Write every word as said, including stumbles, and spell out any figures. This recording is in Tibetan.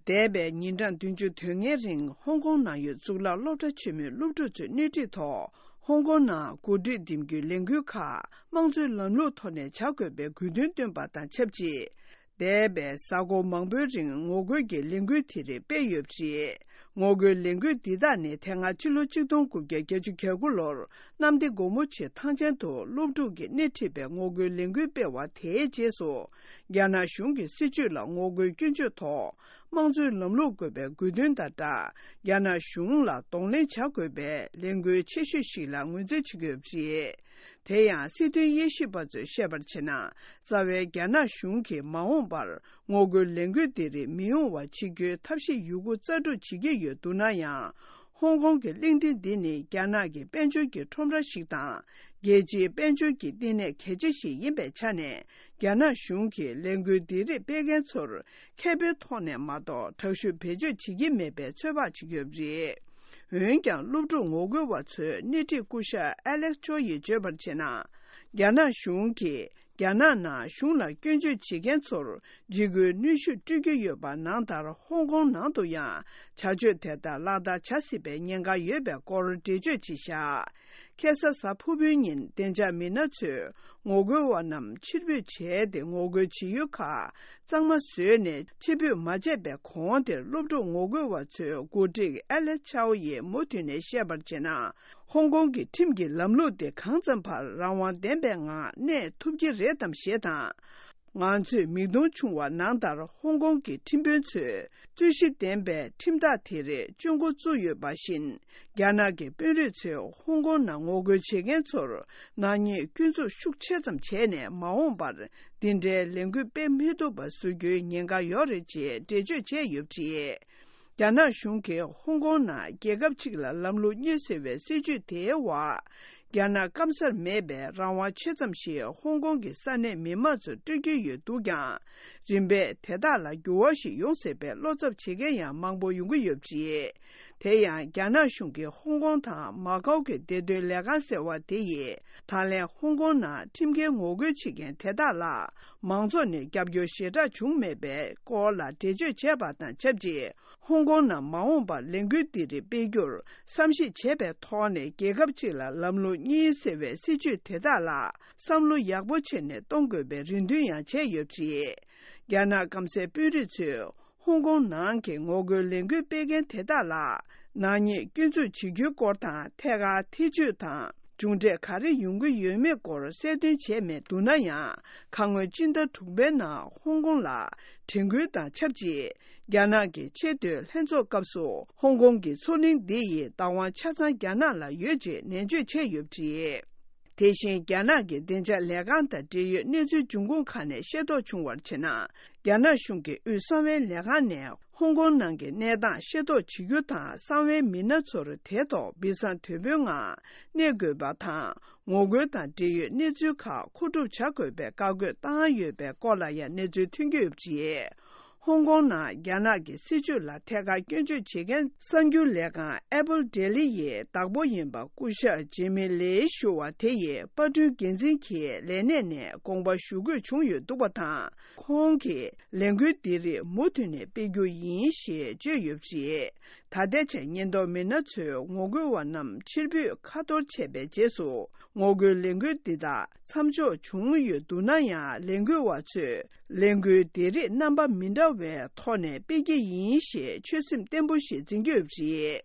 འདས་པའི་ཉིན་གྲངས་བདུན་ཅུ་དོན་ལྔའི་རིང་ཧོང་ཀོང་ནང་ཡོད་གཙུག་ལག་སློབ་གྲྭ་ཆེན་མོའི་སློབ་ཕྲུག་ཚོའི་སྣེ་ཁྲིད་ཐོག་ཧོང་ཀོང་ནང་འགོ་ཁྲིད་འདེམས་རྒྱུའི་ལས་འགུལ་ཁག་དམངས་གཙོའི་ལམ་ལུགས་ཐོག་ནས་བྱ་དགོས་པའི་དགོས་འདུན་བཏོན་པ་དང་ཆབས་ཅིག་འདས་པའི་གཟའ་འཁོར་མང་པོའི་རིང་ངོ་རྒོལ་གྱི་ལས་འགུལ་དེ་རིགས་སྤེལ་ཡོད་པ་རེད། ངོ་རྒོལ་ལས་འགུལ་འདི་དག་ནི་དེ་སྔ་ཕྱི་ལོ་ཆིག་སྟོང་དགུ་བརྒྱ་བརྒྱད་ཅུ་གྱ་དགུ་ལོར་གནམ་བདེ་སྒོ་མོ་ཆེའི་ཐང་ཆེན་དུ་སློབ་ཕྲུག་གིས་སྣེ་ཁྲིད་པའི་ངོ་རྒོལ་ལས་འགུལ་སྤེལ་བ་དེའི་རྗེས་སུ། རྒྱ་ནག་གཞུང་གི་སྲིད་བྱུས་ལ་ངོ་རྒོལ་སྐྱོན་བརྗོད་ཐོག་དམངས་གཙོའི་ལམ་ལུགས་དགོས་པའི་དགོས་འདུན་དང་སྦྲགས། རྒྱ་ནག་གཞུང་ལ་གདོང་ལེན་བྱ་དགོས་པའི་ལས་འགུལ་ཆེ་ཤོས་ཤིག་ལ་ངོས་འཛིན་བྱེད་ཀྱི་ཡོད་པ་རེད། དེ་ཡང་སྲིད་དོན་དབྱེ་ཞིབ་པ་ཚོས་བཤད་པར་བྱས་ན། རྩ་བའི་རྒྱ་ནག་གཞུང་གིས་མ་འོངས་པར་ངོ་རྒོལ་ལས་འགུལ་འདི་རིགས་མི་ཡོང་བ་བྱེད་རྒྱུའི་ཐབས་ཤེས་ཡོད་རྒུ་རྩལ་སྤྲུགས་བྱེད་ཀྱི་ཡོད་འདུག་ན་ཡང་། ཧོང་ཀོང་གི་གླིང་ཕྲན་འདི་ནི་རྒྱ་ནག་གི་དཔལ་འབྱོར་གྱི་ཁྲོམ་ར་ཞིག་དང་། རྒྱལ་སྤྱིའི་དཔལ་འབྱོར་གྱི་བསྟི་གནས་གལ་ཆེ་ཞིག་ཡིན་པའི་ཆ་ནས། རྒྱ་ནག་གཞུང་གིས་ལས་འགུལ་འདི་རིགས་སྤེལ་མཁན་ཚོར་ཁེ་ཕན་ཐོག་ནས་མ་གཏོགས་དྲག་ཤུགས་བེད་སྤྱོད་བྱེད་ཀྱི་མེད་པའི་ཚོད་དཔག་བྱེད་ཀྱི་ཡོད་པ་རེད། འོན་ཀྱང་། སློབ་ཕྲུག་ངོ་རྒོལ་བ་ཚོའི་སྣེ་ཁྲིད་སྐུ་ཞབས་ཨ་ལེག་ཅོ་ཡིས་བརྗོད་པར་བྱས་ན། རྒྱ་ནག་གཞུང་གིས་རྒྱ་ནག་ནང་གཞུང་ལ་སྐྱོན་བརྗོད་བྱེད་མཁན་ཚོར་འཇིགས་སྐུལ་གནོན་ཤུགས་སྤྲོད་ཀྱི་ཡོད་པ་ནང་ལྟར། ཧོང་ཀོང་ནང་དུ་ཡང་བྱ་སྤྱོད་དེ་ལྟར་ལག་བསྟར་བྱ་སྲིད་པའི་ཉེན་ཁ་ཡོད་པའི་སྐོར་འགྲེལ་བརྗོད་བྱས་བཞག་ཁ་སང་གཟའ་ཕུར་བུའི་ཉིན་བདེ་འཇགས་མི་སྣ་ཚོས་ངོ་རྒོལ་བ་རྣམས་ཕྱིར་འབུད་བྱས་ཏེ། ངོ་རྒོལ་བྱེད་ཡུལ་ཁག་གཙང་མ་བཟོས་ནས། ཕྱིར་འབུད་མ་བྱས་པའི་གོང་དེར། སློབ་ཕྲུག་ངོ་རྒོལ་བ་ཚོའི་འགོ་ཁྲིད་ཨ་ལེ་ཆའོ་ཡིས་མུ་མཐུད་ནས་བཤད་པར་བྱས་ན། ཧོང་ཀོང་གི་ཁྲིམས་ཀྱི་ལམ་ལུགས་དེ་གང་ཙམ་བར་རང་དབང་ལྡན་པའི་ངང་གནས་ཐུབ་ཀྱི་རེད་དམ་ཞེས་དང་། ང་ཚོས་མིག་མཐོང་བྱུང་བ་ནང་ལྟར། ཧོང་ཀོང་གི་ཁྲིམས་དཔོན་ཚོས་རྩོད་གཞི་ལྡན་པའི་ཁྲིམས་ཐག་དེ་རིགས་གཅོད་འགོ་བཙུགས་ཡོད་པ་བཞིན། རྒྱ་ནག་གི་དཔོན་རིགས་ཚོས་ཧོང་ཀོང་ནང་ངོ་རྒོལ་བྱེད་མཁན་ཚོར་ནག་ཉེས་སྐྱོན་འཛུགས་ཤུགས་ཆེ་ཙམ་བྱས་ནས། མ་འོངས་པར་འདི་འདྲའི་ལས་འགུལ་སྤེལ་མི་ཐུབ་པ་བཟོ་རྒྱུའི་ཉེན་ཁ་ཡོད་རེད་ཅེས་འགྲེལ་བརྗོད་བྱས་ཡོད་པ་རེད། རྒྱ་ནག་གཞུང་གིས་ཧོང་ཀོང་ནང་རྒྱལ་ཁབ་གཅིག་ལ་ལམ་ལུགས་གཉིས་ཟེར་བའི་སྲིད་བྱུས་དེའི་འོག་རྒྱ་ནག་སྐམ་སར་མེད་པའི་རང་དབང་ཆེ་ཙམ་ཞིག་ཧོང་ཀོང་གི་ས་གནས་མི་མང་ཚོར་སྤྲོད་ཀྱི་ཡོད་འདུག་ཀྱང་། རིམ་པས་དེ་དག་ལ་འགྱུར་བ་ཞིག་ཡོང་སྲིད་པའི་བློ་འཚབ་བྱེད་མཁན་ཡང་མང་པོ་ཡོང་གི་ཡོད་པ་རེད། དེ་ཡང་རྒྱ་ནག་གཞུང་གིས་ཧོང་ཀོང་དང་མ་ཀའོ་གི་བདེ་དོན་ལས་ཁང་ཟེར་བ་དེ་ཡིས། ད་ལན་ཧོང་ཀོང་ནང་ཁྲིམས་འགལ་ངོ་རྒོལ་བྱེད་མཁན་དེ་དག་ལ། མང་ཚོགས་ནས་རྒྱབ་སྐྱོར་ཞེ་དྲག་བྱུང་མེད་པའི་སྐོར་ལ་འགྲེལ་བརྗོད་བྱས་པ་དང་ཆབས་ཅིག་ཧོང་ཀོང་ནང་མ་འོངས་པར་ལས་འགུལ་འདི་རིགས་སྤེལ་རྒྱུར་བསམ་གཞིག་བྱས་པའི་ཐོག་ནས། རྒྱལ་ཁབ་གཅིག་ལ་ལམ་ལུགས་གཉིས་ཟེར་བའི་སྲིད་བྱུས་དེ་དག་ལ་བསམ་བློ་ཡག་པོ་བྱས་ནས་གཏོང་དགོས་པའི་རེ་འདུན་ཡང་བྱས་ཡོད་པ་རེད། རྒྱ་ནག་སྐམ་སའི་དཔོན་རིགས་ཚོས། ཧོང་ཀོང་ནང་གི་ངོ་རྒོལ་ལས་འགུལ་སྤེལ་མཁན་དེ་དག་ལ། ནག་ཉེས་སྐྱོན་འཛུགས་བྱེད་རྒྱུའི་སྐོར་དང་། ཐད་ཀར་ཐེ་བྱུས་དང་མཇུག་འབྲས་ག་རེ་ཡོང་གི་ཡོད་མེད་སྐོར་གསལ་སྟོན་བྱས་མེད་འདུག་ན་ཡང་། ཁ་སྔོན་སྤྱི་ཟླ་དྲུག་པའི་ནང་ཧོང་ཀོང་ལ་དྲན་སྐུལ་དང་ཆབས་ཅིག་རྒྱ་ནག་གི་ཆེས་མཐོའི་ལྷན་ཚོགས་སྐབས་སུ། ཧོང་ཀོང་གི་མཚོ་གླིང་འདི་ཡི་བདག་དབང་ཆ་ཚང་རྒྱ་ནག་ལ་ཡོད་ཅེས་ནན་བརྗོད་བྱས་ཡོད་པ་རེད། དེ་བཞིན། རྒྱ་ནག་གི་བདེ་འཇགས་ལས་ཁང་དང་འབྲེལ་ཡོད་གནས་ཚུལ་འབྱུང་ཁུངས་ཁག་ནས་ཤེས་རྟོགས་བྱུང་བར་བྱས་ན། རྒྱ་ནག་གཞུང་གི་དབུས་གསང་བའི་ལས་ཁང་ནས་ཧོང་ཀོང་ནང་གི་གནས་སྟངས་ཤེས་རྟོགས་བྱེད་རྒྱུ་དང་། གསང་བའི་མི་སྣ་ཚོར་དེ་ཐོག་སྦས་གསང་དོད་པོའི་ངང་གནས་དགོས་པ་དང་། ངོ་རྒོལ་དང་འབྲེལ་ཡོད་གནས་ཚུལ་ཁག་མཁོ་སྒྲུབ་བྱ་དགོས་པའི་བཀའ་བཀོད་བཏང་ཡོད་པའི་སྐོར་ལ་ཡང་གནས་ཚུལ་ཐོན་གྱི་ཡོད་པ་རེད། ཧོང་ཀོང་ནང་རྒྱ་ནག་གི་སྲིད་བྱུས་ལ་ཐད་ཀར་སྐྱོན་བརྗོད་བྱེད་མཁན་གསར་འགྱུར་ལས་ཁང་Apple Daily ཡི་བདག་པོ་ཡིན་པ་སྐུ་ཞབས་ཇེ་མི་ལེ་ཞུ་བ་དེ་ཡིས་པར་སྐྲུན་འགན་འཛིན་གྱི་ལས་གནས་ནས་དགོངས་པ་ཞུ་དགོས་བྱུང་ཡོད་འདུག་པ་དང་། ཁོང་གིས་ལས་འགུལ་འདི་རིགས་མུ་མཐུད་ནས་སྤེལ་རྒྱུ་ཡིན་ཞེས་བརྗོད་ཡོད་པ་རེད། ད་ལྟའི་ཆར་ཉེན་རྟོག་མི་སྣ་ཚོས་ངོ་རྒོལ་བ་རྣམས་ཕྱིར་འབུད་ཁ་གཏོར་བྱས་པའི་རྗེས་སུ། ངོ་རྒོལ་ལས་འགུལ་འདི་དག་མཚམས་འཇོག་བྱུང་ཡོད་འདུག་ན་ཡང་། ལས་འགུལ་བ་ཚོས་ལས་འགུལ་འདི་རིགས་རྣམ་པ་མི་འདྲ་བའི་ཐོག་ནས་སྤེལ་གྱི་ཡིན་ཞེས་ཆོད་སེམས་བརྟན་པོ་ཞིག་འཛིན་གྱི་ཡོད་པ་རེད།